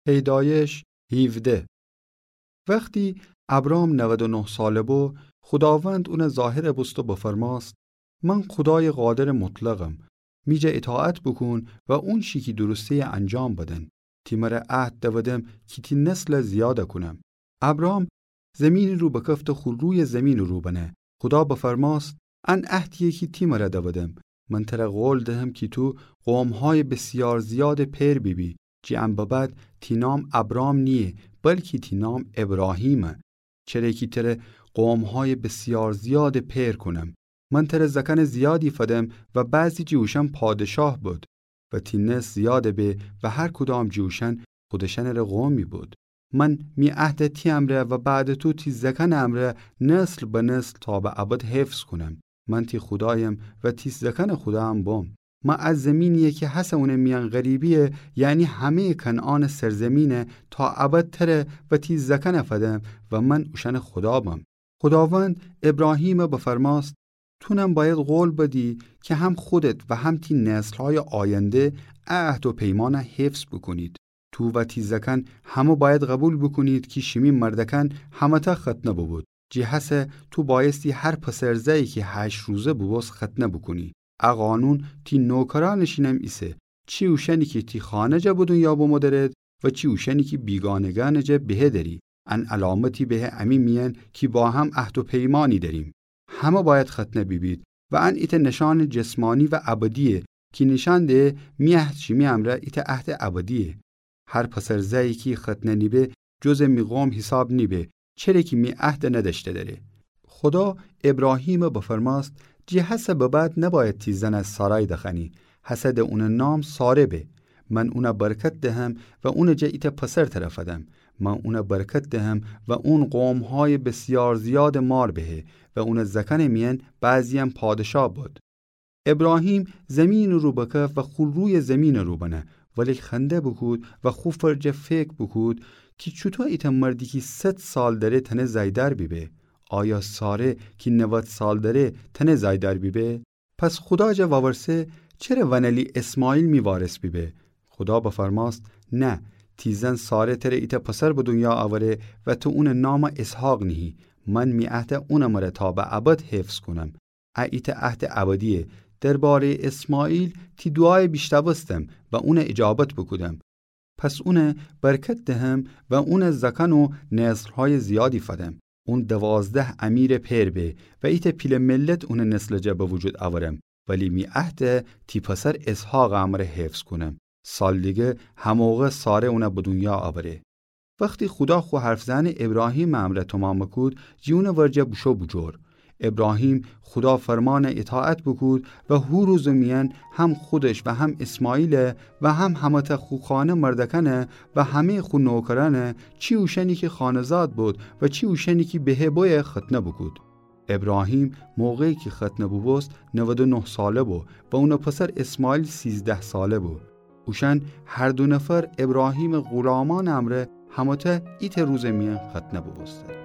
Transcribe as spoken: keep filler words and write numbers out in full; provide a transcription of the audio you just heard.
پیدایش هیوده. وختی ابرام نود و نه ساله بو، خوداوند اونه ظاهر بوست و بفرماست: من خودای قادر مطلقم. می جا اطاعت بوکون و اونچی کی درسته‌یه انجام بدن. تی مره عهد دودم کی تی نسل زیاد کونم. ابرام زمینٚ رو بکفت و خو روی زمینٚ رو بنه. خودا بفرماست: ان عهدییه کی تی مره دودم. من تره قول دهم کی تو قومهای بسیار زیادٚ پئر بیبی. جی ان ببعد تی نام ابرام نییه، بلکی تی نام ابراهیمه. چره کی تره قومهای بسیار زیادٚ پئر کونم. من تره زکنٚ زیادی فدم و بعضی جی اوشأن پادشاه بد. و تی نسل زیاد به و هر کدام جی اوشأن خودشأنٚره قومی بد. من می عهده تی امرأ و بعدٚ تو تی زکنٚ امرأ نسل به نسل تا به ابد حفظ کونم. من تی خودایم و تی زکنٚ خودا هم بم. من ا زمینییه کی هسه اونٚ میأن غریبییه، یعنی همه‌یٚ کنعانٚ سرزمینه تا ابد تره و تی زکنٚ فدم و من اوشأنٚ خودا بم. خوداوند ابراهیمٚ بفرماست: تونم بأید قول بدی کی هم خودت و هم تی نسلهای آینده ا عهد و پیمانه حفظ بوکونید. تو و تی زکن همه بأید قبول بوکونید کی شیمی مردکأن همه‌تأ ختنه بوبود. جی هسه تو بأیستی هر پسر زأیی کی هشت روزه بوبوست ختنه بوکونی. ا قانون تی نوکرأنٚ شینم ایسه، چی اوشأنی کی تی خانه جا به دونیا بمو درد و چی اوشأنی کی بیگانگأنٚ جا بهه دری. ان علامتی به امی میأن کی با هم عهد و پیمانی دریم. همه بأید ختنه بیبید و ان ایتأ نشانٚ جسمانی و ابدییه کی نیشأن ده می عهد شیمی امرأ ایتأ عهدٚ ابدییه. هر پسر زأیی کی ختنه نیبه جزٚ می قوم حیساب نیبه، چره کی می عهد ندأشته دره. خودا ابراهیمٚ بفرماست: جی هسه به بعد نبأید تی زنه سارای دخوأنی، هسه ده اونٚ نام ساره به. من اونه برکت دهم و اونٚ جا ایتأ پسر تره فدم. من اونه برکت دهم و اون قومهای بسیار زیادٚ مار بهه و اونٚ زکنٚ میأن بعضییأن پادشاه بد. ابراهیم زمینٚ رو بکف و خو رویٚ زمینٚ رو بنه، ولی خنده بوکود و خو فرجه فکر بوکود کی چوطو ایتأ مردی کی صد سال دره تأنه زأیدار بیبه؟ آیا ساره کی نود سال دره تأنه زأیدار بیبه؟ پس خودا جا وورسه: چره ونلی اسماعیل می وارث بیبه؟ خودا بفرماست: نه، تی زن ساره تره ایتأ پسر به دونیا اوره و تو اونٚ نام اسحاق نیهی. من می عهده اونٚ مره تا به ابد حفظ کونم. ا ایتأ عهدٚ ابدییه. درباره‌یٚ اسماعیل تی دوعایه بیشتأوستم و اونه ایجابت بوکودم. پس اونه برکت دهم و اونٚ زکن و نسلهای زیادی فدم. اون دوازده امیرٚ پئر به و ایتأ پیله ملت اونٚ نسلٚ جا به وجود اورم. ولی می عهده تی پسر اسحاقٚ امرأ حفظ کونم. سال دیگه هموقع ساره اونه به دونیا اوره. وختی خودا خو حرف زأنٚ ابراهیمٚ امرأ تومام بوکود، جی اونٚ ورجه بوشو بوجور. ابراهیم خودا فرمانٚ ایطاعت بوکود و هو روزٚ میأن هم خودش و هم اسماعیل و هم همه‌تأ خو خانه مردکأنه و همه‌یٚ خو نوکرأنه، چی اوشأنی کی خانه‌زاد بود و چی اوشأنی کی بهه بویه، ختنه بوکود. ابراهیم موقعی کی ختنه بوبوست، نود و نه ساله بو و اونٚ پسر اسماعیل سیزده ساله بو. اوشأن هر دو نفر ابراهیمٚ غلامأنٚ امرأ همه‌تأ ایتأ روزٚ میأن ختنه بوبوستن.